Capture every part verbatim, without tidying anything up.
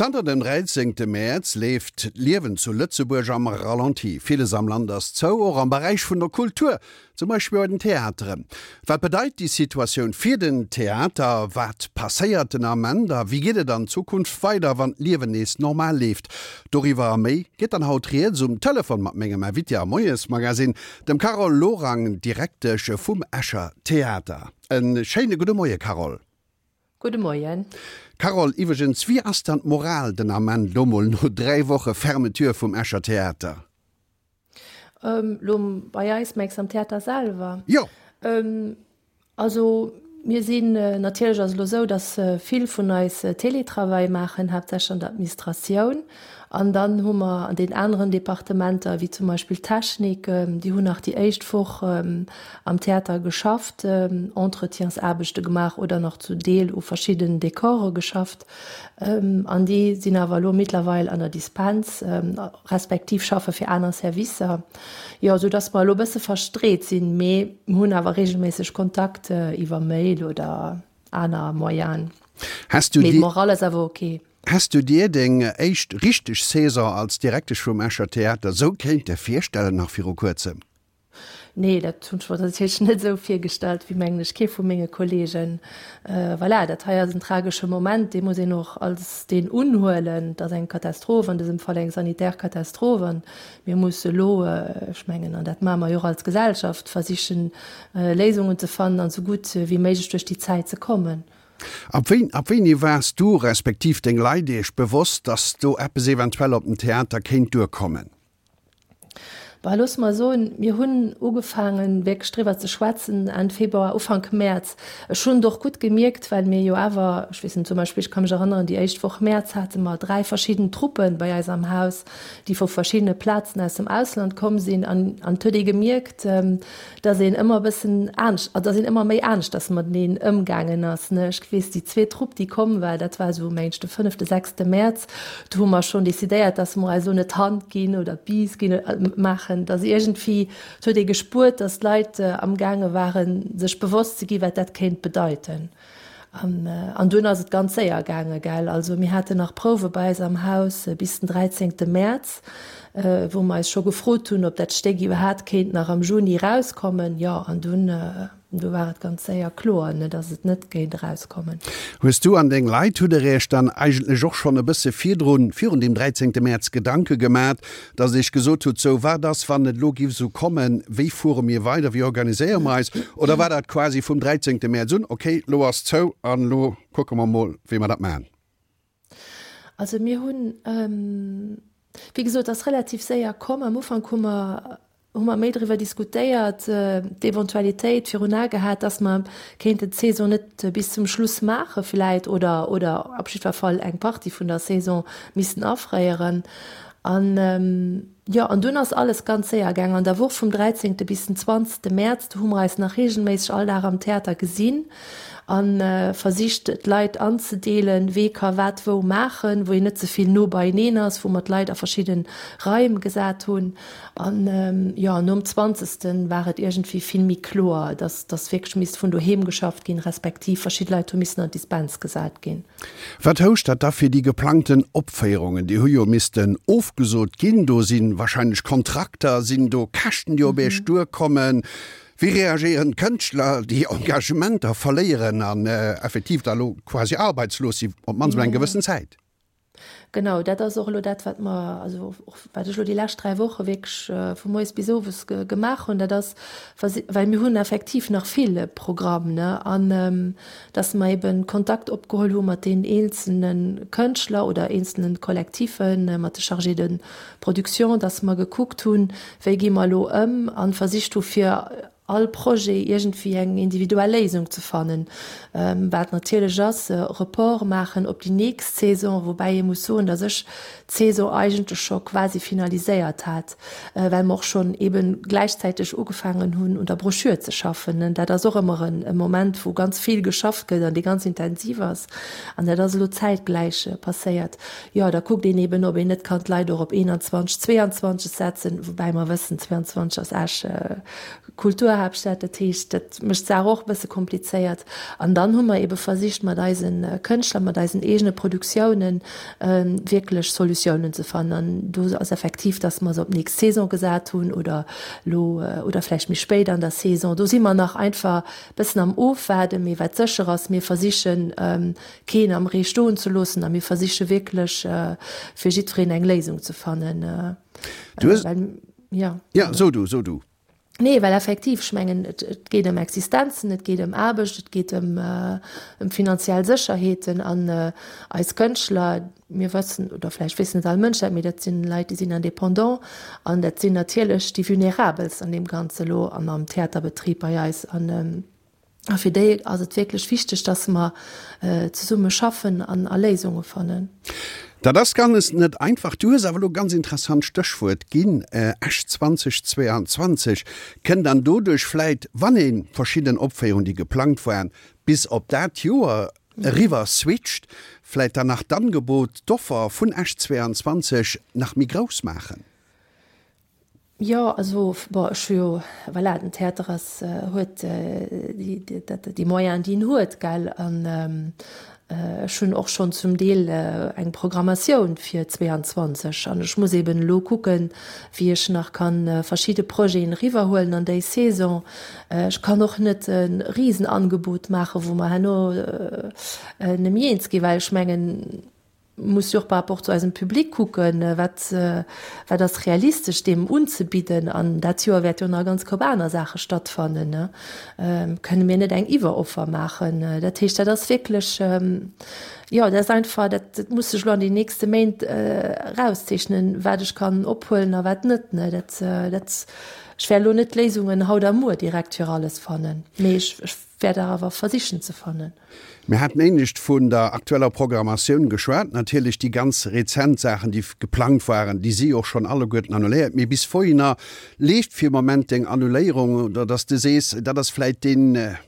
Zanter dem dräizéngte Mäerz leeft d'Liewen zu Lëtzebuerg am Ralenti. Villes am Land ass zou, och am Beräich vun der Kultur, zum Beispill bei den Theateren. Wat bedeit déi Situatioun fir den Theater? Wat passéiert den Ament a wéi geet et an Zukunft weider, wann d'Liewen nees normal leeft? Doriwwer a méi geet dann haut rieds um Telefon mat mengem Invité am Moiesmagazine, dem Carole Lorang, Direktesch vum Escher Theater. E schéine gudde Moie Carole. Gudde Moien. Carole, iwwregens, wéi ass dann d'Moral den Ament, lo mol no dräi Woche Fermeture vum Escher Theater? Lo bei eis, mengs am Theater selwer? Jo. Also mir sinn, natierlech ass et elo esou, datt vill vun eis Télétravail maachen, haaptsächlech an der Administratioun. An dann hu mer an den aneren Departementer, wéi zum Beispill d'Technik, déi hunn nach déi éischt Woch am Theater geschafft, Entretiensaarbechte gemaach oder nach zu Deel u verschiddenen Dekore geschafft. An déi sinn awer elo mittlerweil an der Dispens, respektiv schaffe fir aner Servicer. Jo, esou datt mer elo e bësse verstreet sinn, mee mir hunn awer reegelméisseg Kontakt iwwer Mail oder aner Moyenen. Has du Mee d'Moral ass awer ok. Häss du dir deng éischt richteg Saison als Direktesch vum Escher Theater sou kéinte virstellen nach viru kuerzem? Nee, dat hunn ech mer natierlech net esou virgestallt, wéi mengen ech kee vu menge Kolleegen. Voilà, dat hei ass en tragesche Moment, dee muss een och als deen unhuelen. Et ass eng Katastroph, an dësem Fall eng sanitär Katastroph, an mir musse elo, ech mengen, an dat maache mer jo och als Gesellschaft, versichen Léisungen ze fannen an esou gutt wéi méiglech duerch déi Zäit ze kommen. Ab wéi, ab wéini waars du, respektiv deng Leit iech bewosst, dass do eppes eventuell op den Theater kéint duerkommen? Bah, loosse mer soen, mir hunn ugefaangen, wierklech driwwer ze schwätzen Enn Februar, Ufank Mäerz. Ech hunn et och gutt gemierkt, well mir jo awer, ech weess net, zum Beispill, ech ka mech erënneren, déi éischt Woch Mäerz hate mer dräi verschidden Truppen bei eis am Haus, déi vu verschiddene Plazen aus dem Ausland komm sinn. An, an et huet ee gemierkt, dass een ëmmer e bëssen anescht, also dass een ëmmer méi aneschters mateneen ëmgaangen ass, ne. Ech weess, déi zweet Trupp, déi komm war, dat war esou, mengen ech, de fënnefte, sechste Mäerz, do hu mer schonn decidéiert, dass mer eis elo net d'Hand ginn oder d'Biis ginn, maachen, dass iergendwéi, et huet ee gespuert, dass d'Leit amgaange waren, sech bewosst ze gi wat dat kéint bedeiten. An, an dunn ass et ganz séier gaange, gell. Also mir haten nach Prouwe bei eis am Haus bis den dräizéngte Mäerz, wou mer eis scho gefrot hunn, ob dat Stéck iwwerhaapt kéint nach am Juni erauskommen. Jo, an dunn, du war et ganz séier kloer, ne, datt et net géint erauskommen. Hues du an deng Leit, hutt der Iech dann eigentlech och schonn e bësse virdrun, virun deem dräizéngte Mäerz Gedanke gemat, datt Der Iech gesot hutt, sou, wat ass, wann et elo giff esou kommen, wéi fuere mir weider, wéi organiséiere mer eis? Oder war dat quasi vum dräizéngte Mäerz un, okay, elo ass zou an elo kucke mer mol, wéi mer dat maachen? Also mir hunn, wéi gesot, et ass relativ séier komm. Am Ufank hu mer hu mer méi driwwer diskutéiert, d'Eventualitéit virun Ae gehat, dass mer kéinten d'Saison net bis zum Schluss maache vläit oder, oder op jiddwer Fall eng Partie vun der Saison missten afréieren. An, jo, an dunn ass alles ganz séier gaang. An der Woch vum dräizéngte bis den zwanzegste Mäerz, do hu mer eis nach reegelméisseg all Dag am Theater gesinn a versicht, d'Leit anzedeelen, wee ka wat wou maachen, wou een net ze vill no beieneen ass, wou mer d'Leit a verschidde Raim gesat hunn. An, jo, nom zwanzegste war et iergendwéi vill méi kloer, dass, dass wierklech misst vun doheem geschafft ginn, respektiv verschidde Leit hu missen an d'Dispens gesat ginn. Wat housch dat da fir déi geplangten Opféierungen? Déi hu jo missten ofgesot ginn. Do si wahrscheinlech Kontrakter, sinn do Käschten, déi op Iech duerkommen? Wéi reagéieren d'Kënschtler, déi Engagementer verléieren an effektiv da lo quasi arbeitslos si, op d'mannst emol eng gewëssen Zäit? Genau, dat ass och elo dat, wat mer, also och wat ech elo déi lescht dräi Woche wierklech vu moies bis owes gemaach hunn, dat ass, well mir hunn effektiv nach vill Programm, ne, an dass mer eben Kontakt opgeholl hu mat deenen eenzelne Kënschtler oder eenzelne Kollektiven, mat de Chargés de production, dass mer gekuckt hunn, wéi gi mer elo ëm, a versicht hu fir all Projet iergendwéi eng individuell Léisung ze fannen, wat natierlech ass, Report maachen op déi nächst Saison, woubäi ee muss soen, datt ech d'Saison eigentlech scho quasi finaliséiert hat, well mer och schonn eebe gläichzäiteg ugefaangen hunn, un der Broschür ze schaffen. Dat ass och ëmmer e Moment, wou ganz vill geschafft gëtt an dee ganz intensiv ass. An dat ass elo zäitgläich passéiert. Jo, da kuckt een eeben, ob een net kann d'Leit och op eenanzwanzeg, zweeanzwanzeg setzen, woubäi mer wëssen, zweeanzwanzeg ass Esch Kulturhaaptstad. Kulturhaaptstad, dat heescht, dat mécht d'Saach och e bësse komplizéiert. An dann hu mer ebe versicht mat eise Kënschtler, mat eisen eegene Produktiounen wierklech Solutiounen ze fannen. An do ass effektiv, dass mer se op d'nächst Saison gesat hunn oder elo oder vläicht méi spéit an der Saison. Do si mer nach einfach e bëssen am Ofwaarden. Mee wat sécher ass, mir versichen, keen am Ree stoen ze loossen a mir versiche wierklech, fir jiddwereen eng Léisung ze fannen. Du hues. Ja. Ja, so du, so du. Nee, well effektiv, ech mengen, et geet ëm Existenzen, et geet ëm Aarbecht, et geet ëm finanziell Sécherheeten. An eis Kënschtler, mir wëssen, oder vläicht weess net all Mënsch dat, mee dat sinn Leit, déi sinn indépendant an dat sinn natierlech déi Vulnerabelst an deem Ganze elo an am Theaterbetrib bei eis. An A fir déi ass et wierklech wichteg, dass mer zesumme schaffen an a Léisunge fannen. Dat ass ganz net einfach. Du hues awer elo e ganz interessant Stéchwuert ginn, Esch zweitausendzweiundzwanzig. Kënnt dann doduerch vläit, wann ee verschidden Opféierungen, déi geplangt waren, bis op dat Joer eriwwer switcht, vläit dann nach d'Angebot, d'Offer vun Esch zweiundzwanzig nach méi grouss maachen? Jo, also bon, ech hu jo, voilà, den Theater ass, huet déi, dat, déi Moyenen, déi en huet, gell, an ech hunn och schonn zum Deel eng Programmatioun fir zweeanzwanzeg an ech muss eben elo kucken, wéi ech nach kann verschidde Projeten eriwwerhuelen an déi Saison. Ech kann och net e Risenangebot maachen, wou mer herno net méi eens ginn, well ech mengen, muss jo och par rapport zu eisem Public kucken, wat, wat ass realistesch deem unzebidden. An dat Joer wäert jo nach e ganz Koup aner Saache stattfannen. Kënne mir net eng Iwweroffer maachen? Dat heescht, dat ass wierklech, jo, dat ass einfach, dat muss sech elo an den nächste Méint erauszeechnen, wat ech kann ophuelen a wat net. Dat, dat, ech wäert elo net d'Léisungen haut a muer direkt fir alles fannen, mee ech, ech wäert der awer versichen ze fannen. Mir haten éinescht vun der aktueller Programmatioun geschwat. Natierlech déi ganz rezent Saachen, déi geplangt waren, déi si och schonn alleguerten annuléiert. Mee bis wouhinner leeft fir Moment deng Annuléierung oder dass de sees, dat ass vläit dee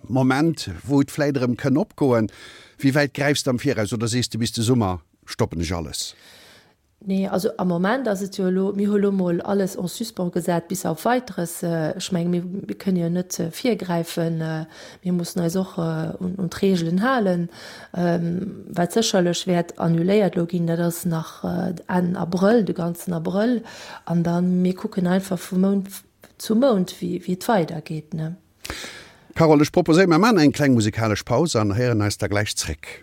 Moment, wou et vläit erëm kënn opgoen? Wéi wäit gräifs de am Viraus oder sees de, bis de Summer stoppen ech alles? Nee, also am Moment ass et jo elo, mir hu lo mol alles en suspens gesat bis auf Weiteres. Ech menge mir, mir kënne jo net virgräifen. Mir mussen eis och un, un d'Reegelen halen. Wat sécherlech wäert annuléiert elo ginn, dat ass nach Enn Abrëll, de ganzen Abrëll. An da mir kucken einfach vu Mount zu Mount, wéi, wéi et weidergeet, ne. Carole, ech proposéieren, mir maachen eng kleng musikalesch Paus an héieren eis da gläich zréck.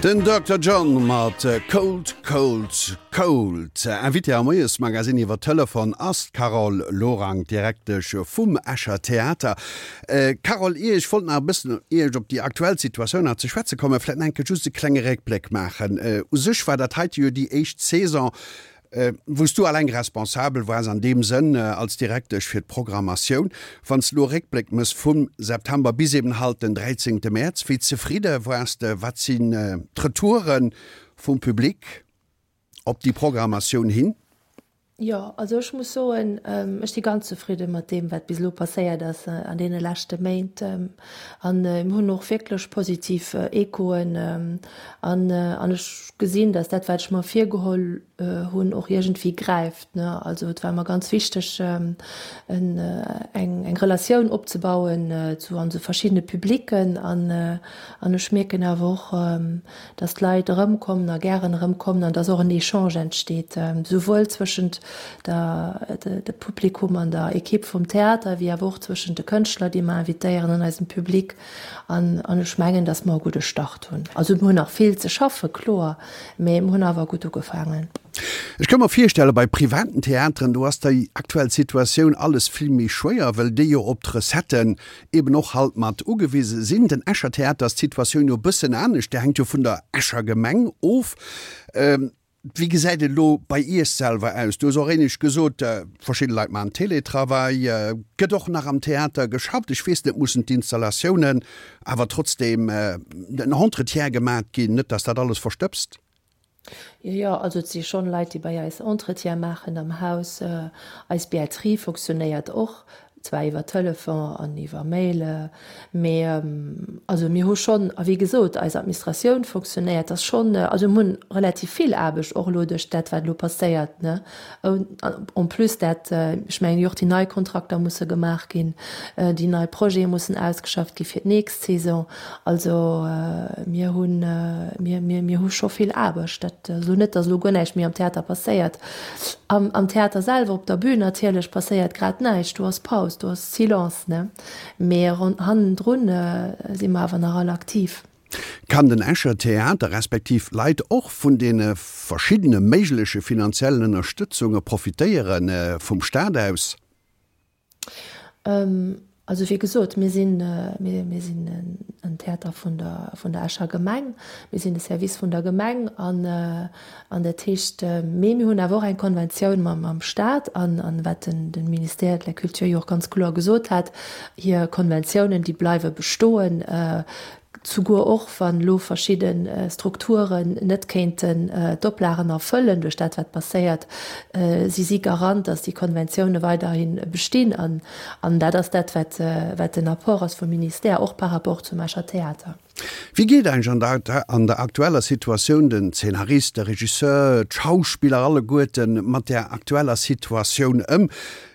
Den Dokter John mat Cold, Cold, Cold. Invitée am Moiesmagazin iwwer Telefon ass d'Carole Lorang, Direktesch vum Escher Theater. Carole, ier ech wollt nach e bëssen, ier ech op déi aktuell Situatioun nach ze schwätze kommen, vläicht nach eng Kéier just e klenge Réckbléck maachen. U sech war dat heite jo déi éischt Saison, wou s du alleng responsabel waars an deem Sënn als Direktesch fir d'Programmatioun. Wann s de elo Réckbléck méchs vum September bis eben halt den dräizéngte Mäerz, wéi zefridde waars de? Wat sinn d'Retoure vum Public op déi Programmatioun hin? Jo, also ech muss soen, ech si ganz zefridde mat deem, wat bis elo passéiert ass an deene leschte Méint. An mir hunn och wierklech positiv Echoen. An ech gesinn, datt dat, wat ech mer virgeholl hunn, och iergendwéi gräift. Also et war mer ganz wichteg, eng eng Relatioun opzebauen zu onse verschiddene Publicken. An an ech mierken awer och, datt d'Leit erëmkommen a gären erëmkommen an datt och en Echange entsteet, souwuel zwëschent der de Publikum an der Ekipp vum Theater, wéi awer och zwëschent de Kënschtler, déi mer invitéieren, an eisem Public. An an ech mengen, datt mer e gudde Start hunn. Also mir hunn nach vill ze schaffe, kloer, mee mir hunn awer gutt ugefaangen. Ech ka mer virstellen, bei privaten Theateren, do ass déi aktuell Situatioun alles vill méi schwéier, well déi jo op d'Recetten eben och halt mat ugewise sinn. Den Escher Theater ass d'Situatioun jo e bëssen anescht, der hänkt jo vun der Escher Gemeng of. Wéi gesäit et elo bei Iech selwer aus? Du hues och éinescht gesot, verschidde Leit maachen Teletravail. Gëtt och nach am Theater geschafft? Ech weess net, mussen d'Installatiounen awer trotzdeem den Entretien gemat ginn, net datt dat alles verstëbst? Jo, jo, also et si schonn Leit, déi bei eis Entretien maachen am Haus. Eis Billetterie fonctionnéiert och. Zwar iwwer Telefon an iwwer Mail, mee also mir hu schonn, a wéi gesot, eis Administratioun fonctionnéiert, ass schonn, also mir hunn relativ vill Aarbecht och elo duerch dat, wat elo passéiert, ne. En plus dat, ech mengen jo och déi nei Kontrakter musse gemaach ginn, déi nei Projete mussen ausgeschafft gi fir d'nächst Saison. Also mir hunn, mir, mir, mir hu scho vill Aarbecht. Dat ass elo net, datt elo guer näischt méi am Theater passéiert. Am, am Theater selwer, op der Bühn natierlech passéiert grad näischt, do ass Paus, do ass Silence, ne? Mee hannendrun si mer awer nach all aktiv. Kann den Escher Theater respektiv Leit och vun deene verschiddene méigleche finanziellen Ënnerstëtzunge profitéiere vum Staat aus? Also wéi gesot, mir sinn, mir, mir sinn en Theater vun der, vun der Escher Gemeng, mir sinn de Service vun der Gemeng an, an dat heescht, mee mir hunn awer och eng Konventioun mam, mam Stat an, an wat den, den Ministère de la Culture jo och ganz kloer gesot hat, hir Konventiounen, déi bleiwe bestoen, Souguer och wann elo verschidde Strukturen net kéinten d'Oplagen erfëllen duerch dat wat passéiert, si si Garant, datt déi Konventioune weiderhi bestinn. An dat ass dat wat wat den Apport ass vum Ministère, och par rapport zum Escher Theater. Wéi geet eigentlech an der aktueller Situatioun den Zeenarist, de Regisseur, d'Schauspiller alleguerten mat där aktueller Situatioun ëm?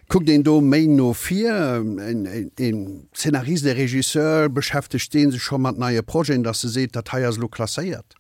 Kuckt een do méi no vir? Een Zeenarist, ee Regisseur, beschäftegt dee sech scho mat neie Projeten, datt e seet, dat hei ass elo klasséiert?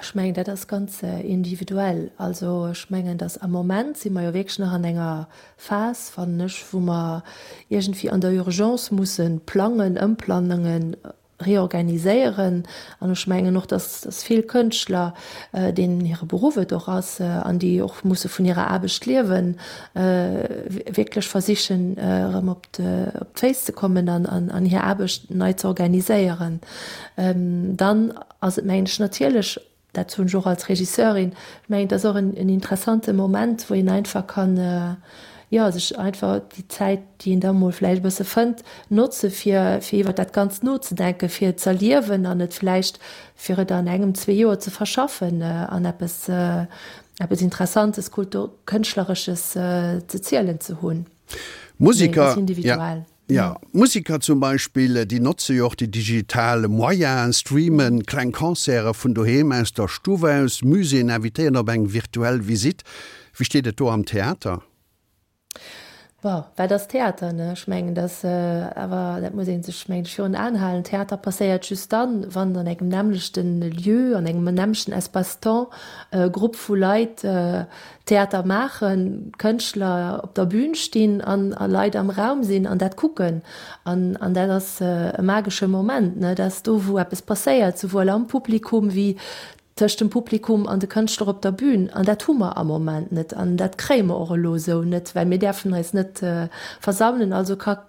Ech mengen, dat ass ganz individuell. Also ech mengen, datt am Moment si mer jo wierklech nach an enger Phas, fannen ech, wou mer iergendwéi an der Urgence musse plangen, ëmplangen, reorganiséieren. An ech mengen och, dass, dass vill Kënschtler, deenen hire Beruff et och ass an déi och musse vun hirer Aarbecht liewen, wierklech versichen, erëm op d'Féiss ze kommen an, an hir Aarbecht nei ze organiséieren. Dann ass et, mengen ech, natierlech, dat soen ech och als Regisseurin, ech mengen, et ass och en interessante Moment, wou een einfach kann, jo, sech einfach déi Zäit, déi een da mol vläicht e bësse fënnt, notze fir, fir iwwer dat Ganzt nozedenken, fir et z'erliewen an et vläicht, fir et an engem, zwee Joer ze verschaffen an eppes, eppes Interessantes, Kultur-, Kënschtleresches ze zielen ze hunn. Mee et ass Museker, ja. individuell. Jo, Museker zum Beispill, déi notze jo och déi digital Moyenen, streamen kleng Concerte vun doheem aus der Stuff aus, Muséeën invitéieren op eng virtuell Visitt. Wéi steet et do am Theater? Bon, wat ass Theater, ne? Ech mengen, dass awer, dat muss ee sech, mengen ech, virun Aen halen, Theater passéiert just dann, wann an engem nämmlechten Lieu, an engem nämmlechten Espace-temps e Grupp vu Leit Theater maachen, Kënschtler op der Bühn stinn an a Leit am Raum sinn an dat kucken. An, an dat ass e magesche Moment, ne? Dat ass do, wou eppes passéiert, souwuel am Publikum wéi tëscht dem Publikum an de Kënschtler op der Bühn. An dat hu mer am Moment net an dat kréie mer och elo esou net, well mir däerfen eis net versammelen. Also ka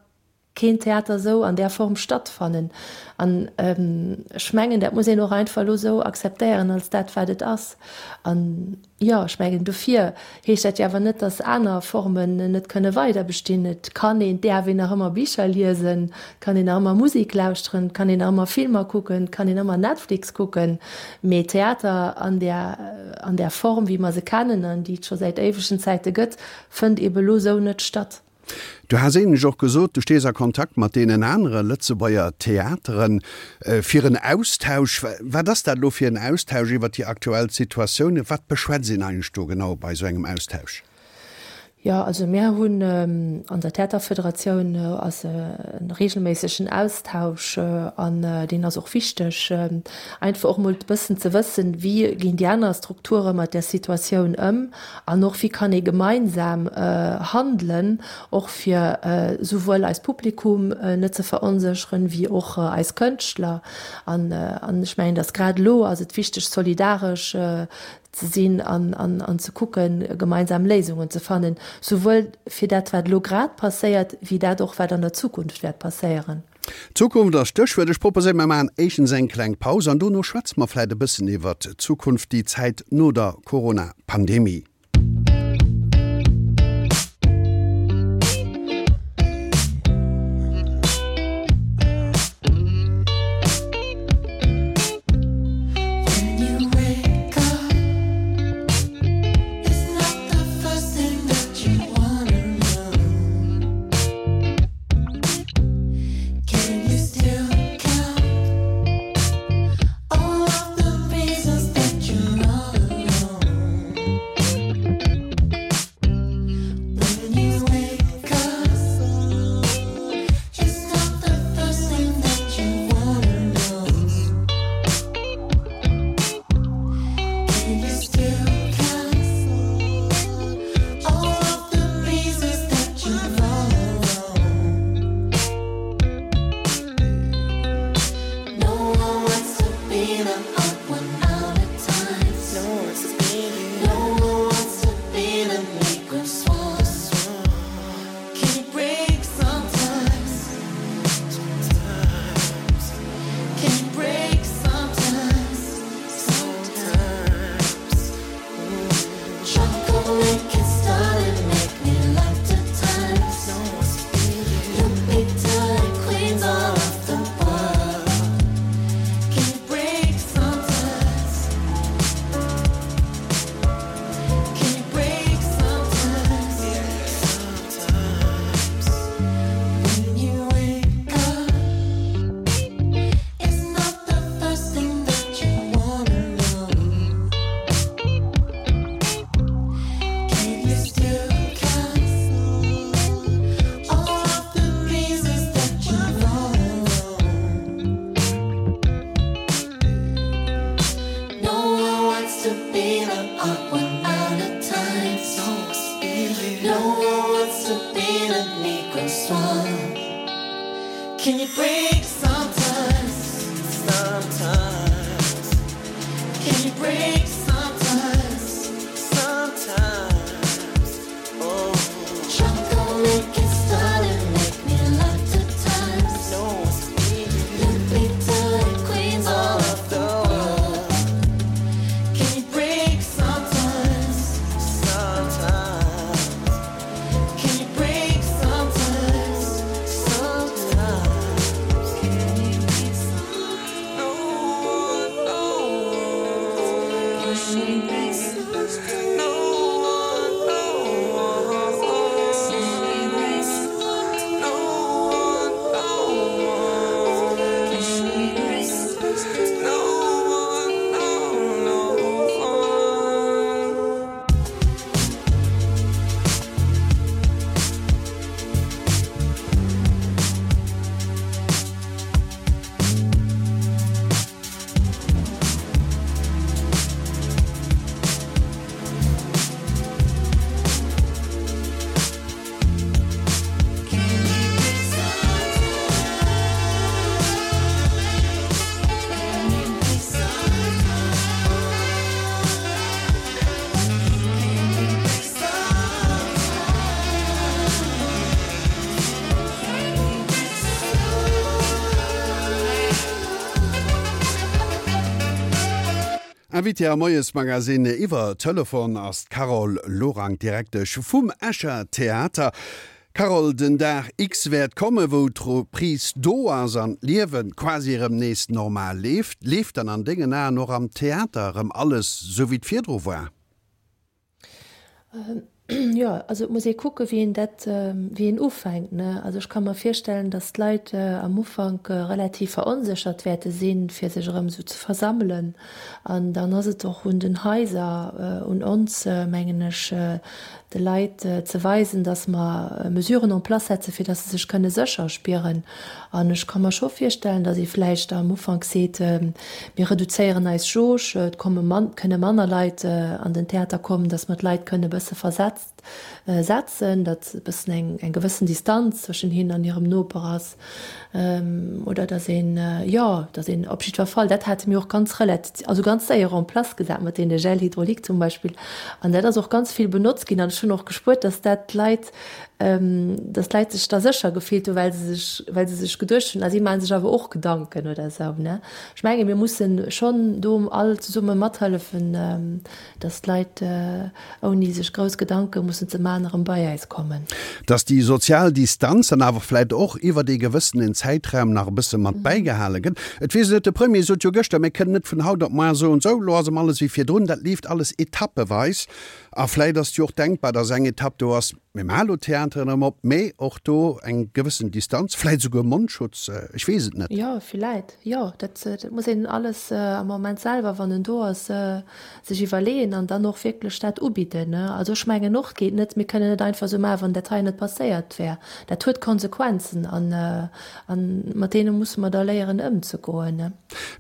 keen Theater esou an där Form stattfannen. An ech mengen, dat muss een och einfach elo esou akzeptéieren als dat, wat et ass. An jo, ech mengen, dofir heescht dat jo awer net, datt aner Formen net kënne weider bestinn. Et kann een, et däerf een nach ëmmer Bicher liesen, et kann een nach ëmmer Musek lauschteren, et kann een nach ëmmer Filmer kucken, et kann een ëmmer Netflix kucken, mee Theater an där, an där Form, wéi mer se kennen an déi et scho säit éiwegen Zäite gëtt, fënnt eebe lo esou net statt. Du has éinescht och gesot, du stees a Kontakt mat deenen anere Lëtzebuerger Theateren fir en Austausch. Wat ass dat elo fir en Austausch iwwer déi aktuell Situatioun? Wat beschwätzt een eigentlech do genau bei esou engem Austausch? Jo, also mir hunn an der Theaterfederatioun ass e reegelméissegen Austausch an deen ass och wichteg, einfach och emol e bëssen ze wëssen, wéi ginn déi aner Strukture mat där Situatioun ëm an och wéi kann ee gemeinsam handelen, och fir souwuel eist Publikum net ze veronsécheren, wéi och eis Kënschtler. An ech mengen, datt grad elo ass et wichteg, solidaresch ze sinn an, an, an ze kucken, gemeinsam Léisungen ze fannen, souwuel fir dat, wat elo grad passéiert, wéi dat och, wat an der Zukunft wäert passéieren. Zukunft ass d'Stéchwuert. Ech proposéieren, mer maachen éischtens eng kleng Paus an dono schwätze mer vläicht e bëssen iwwert d'Zukunft, déi Zäit no der Corona-Pandemie. Invitée am Moiesmagazine iwwer Telefon ass d'Carole Lorang, Direktesch vum Escher Theater. Carole, den Dag X wäert komme wou d'Reprise do ass an d'Liewe quasi erëm nees normal leeft. Leeft dann an dengen Aen och am Theater erëm alles sou wéi et virdru war? Jo, also et muss ee kucke wéi een dat, wéi een ufänkt, ne. Also ech ka mer virstellen, datt d'Leit am Ufank relativ veronséchert wäerte sinn, fir sech erëm esou ze versammelen. An dann ass et och un den Haiser, un ons, mengen ech, de Leit ze weisen, datt mer Mesuren en place setze fir datt se sech kënne sécher spieren. An ech ka mer scho virstellen, datt ee vläicht am Ufank seet, mir reduzéieren eis Jauge, et komme man, kënne manner Leit an den Theater kommen, datt mer d'Leit kënne e bësse versetzt setzen, datt e bëssen eng, eng gewëssen Distanz zwëschen hinnen an hirem Noper ass. Oder datt een, jo, datt een op jiddwer Fall, dat hate mir och ganz relat, also ganz séier en place gesat mat deene Gel hydraulique zum Beispill. An dat ass och ganz vill benotzt ginn. An ech hunn och gespuert, datt dat d'Leit, datt d'Leit sech da sécher gefillt hunn, well se sech, well se sech geduecht hunn, ah si maache sech awer och Gedanken oder esou, ne. Ech menge mir mussen schonn do all zesumme mathëllefen, datt d'Leit ouni sech grouss Gedanke mussen ze maachen erëm bei äis kommen. Datt déi sozial Distanz dann awer vläicht och iwwert ee gewëssenen Zäitraum nach e bësse mat bäigehale gëtt. Et weess een net, de Premier sot jo gëschter, mir kënnen net vun haut op muar soen, sou, elo ass erëm alles wéi virdrun. Dat leeft alles etappeweis. A vläicht ass et jo och denkbar, datt eng Etapp do ass, mir maache elo d'Theateren erëm op, mee och do eng gewëssen Distanz, vläicht esouguer Mondschutz, ech weess et net. Jo, vläicht, jo. Dat muss een alles am Moment selwer, wann en do ass, sech iwwerleeën an dann och wierklech dat ubidden. Also ech mengen och, et geet net, mir kënnen net einfach esou maachen, wann dat hei net passéiert wär. Dat huet Konsequenzen an mat deene musse mer da léieren ëmzegoen.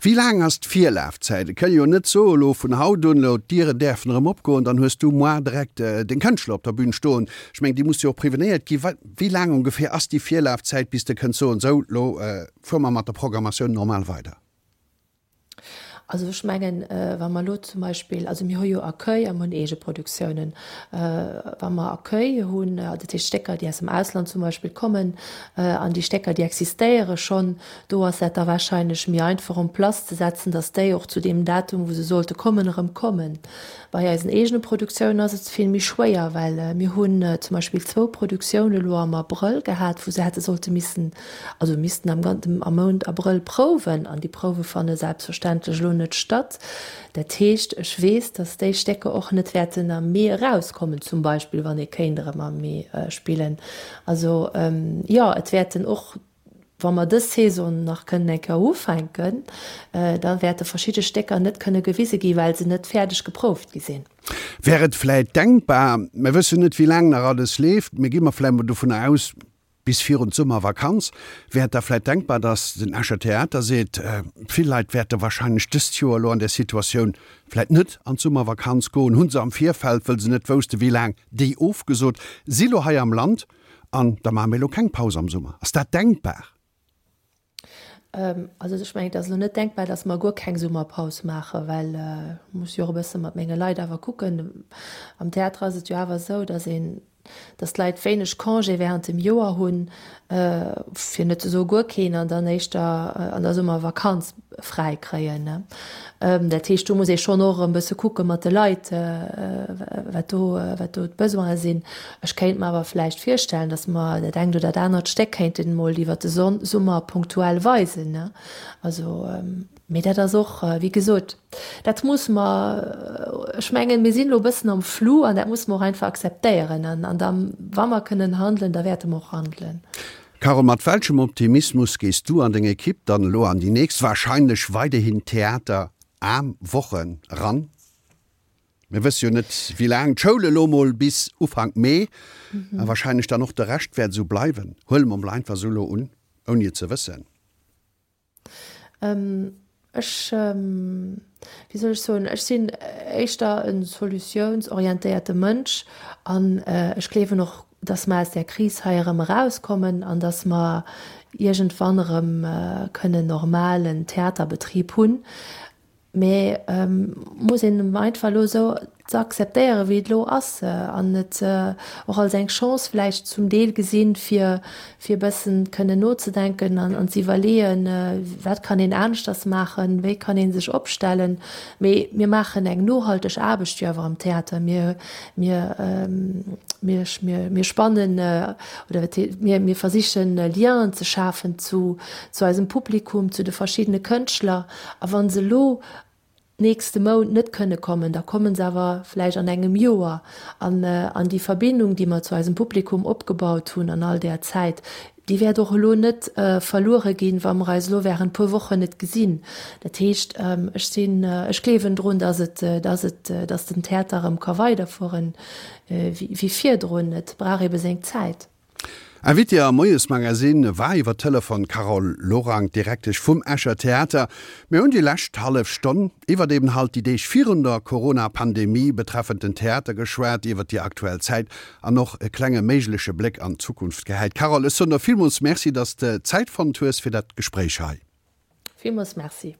Wéi laang ass d'Virlafzäit? Et kënn jo net soen, elo vun haut un, elo d'Dieren däerfen erëm opgoen, dann hues du moar direkt deng Kënschtler op der Bühn stoen. Ech mengen, déi musse jo och prevenéiert ginn. Wéi laang ongeféier ass déi Virlafzäit, bis de kënns soen, sou, elo fuere mer mat der Programmatioun normal weider? Also ech mengen, wa mer elo zum Beispill, also mir hu jo Accueil a mir hunn Eegeproduktiounen. Wa mer Accueil hunn, dat heescht Stécker, déi aus dem Ausland zum Beispill kommen, an déi Stécker, déi existéiere schonn, do ass dat da wahrscheinlech méi einfach en place ze setzen, datt déi och zu deem Datum, wou se sollte kommen, erëm kommen. Bei eisen eegene Produktiounen ass et vill méi schwéier, well mir hunn zum Beispill zwou Produktioune elo am Abrëll gehat, wou se hätte sollte missen, also missten am am Mount Abrëll prouwen, an déi Prouwe fanne selbstverständlech elo net statt. Dat heescht, ech weess, datt déi Stécker och net wäerten am Mee erauskommen, zum Beispill, wann ee kéint erëm am Mee spillen. Also jo, et wäerten och Wa mer dës Saison nach kënnen eng Kéier ufänken, da wäerte verschidde Stécker net kënne gewise gi well se net fäerdeg geprouft gi sinn. Wär et vläit denkbar, mir wëssen net wéi laang nach alles leeft, mee gi mer vläit mol dovunner aus, bis virun d'Summervakanz, wär et da vläit denkbar, datt den Escher Theater seet, vill Leit wäerte wahrscheinlech dëst Joer elo an där Situatioun vläit net an d'Summervakanz goen, hu se am Virfeld, wëll se net wousste wéi laang, déi ofgesot, si lo hei am Land an da maache mir elo keng Paus am Summer. Ass dat denkbar? Also ech mengen, et ass elo net denkbar, datt mer guer keng Summerpaus maachen, well ech muss jo och e bësse mat menge Leit awer kucken. Am Theater ass et jo awer esou, datt een, datt d'Leit wéineg Congé während dem Joer hunn, fir net ze soe guer keen, an dann éischter an der Summervakanz fräi kréien. Dat heescht, do muss ee schonn och e bësse kucke mat de Leit, wat do, wat do d'Besoine sinn. Ech kéint mer awer vläicht virstellen, datt mer dat engt oder dat anert Stéck kéinten emol iwwert de Summer punktuell weisen. Also, mee dat ass och, wéi gesot, dat musse mer, ech mengen, mir sinn elo e bëssen am Flou an dat musse mer och einfach akzeptéieren. An da wa mer kënnen handelen, da wäerte mer och handelen. Carole, mat welchem Optimismus gees du an deng Ekipp dann elo an déi nächst, wahrscheinlech weiderhin theateraarm Wochen eran? Mir wësse jo net wéi laang d'Schoul elo mol bis Ufank Mee a wahrscheinlech dann och de Rescht wäert esou bleiwen. Huele mer mol einfach esou elo un, ouni et ze wëssen. Ech, wéi soll ech soen, ech sinn éischter e solutiounsorientéierte Mënsch an ech gleewen och, dass mer aus där Kris hei erëm erauskommen an dass mer iergendwann erëm kënnen normalen Theaterbetrib hunn. Mä muss een einfach elo esou ze akzeptéieren, wéi et elo ass, an et och als eng Chance vläicht zum Deel gesinn, fir fir e bëssen kënnen nozedenken an an ze iwwerleeën, wat kann een aneschters maachen, wéi kann ee sech opstellen. Mee mir maachen eng nohalteg Aarbecht jo awer am Theater. Mir mir mir mir spannen oder mir mir versichen Lienen ze schafen zu zu eisem Publikum, zu de verschiddene Kënschtler. A wa se elo nächste Mount net kënne kommen, da komme se awer vläicht an engem Joer. An an déi Verbindung, déi mer zu eisem Publikum opgebaut hunn an all där Zäit, déi wäert och elo net verluere ginn, wa mer eis elo während puer Wochen net gesinn. Dat heescht, ech sinn, ech gleewen drun, dass et, dass et, dass den Theater erëm ka weiderfueren wéi virdrun. Et brauch ebe seng Zäit. Invitée am Moiesmagazin war iwwer Telefon d'Carole Lorang, d'Direktesch vum Escher Theater. Mir hunn déi lescht hallef Stonn iwwert eben halt déi Deeg virun der Corona-Pandemie betreffend den Theater geschwat, iwwert déi aktuell Zäit an och e klenge méigleche Bléck an d'Zukunft gehäit. Carole, ech soen der villmools Merci, dass de Zäit fonnt hues fir dat Gespréich hei. Villmools Merci.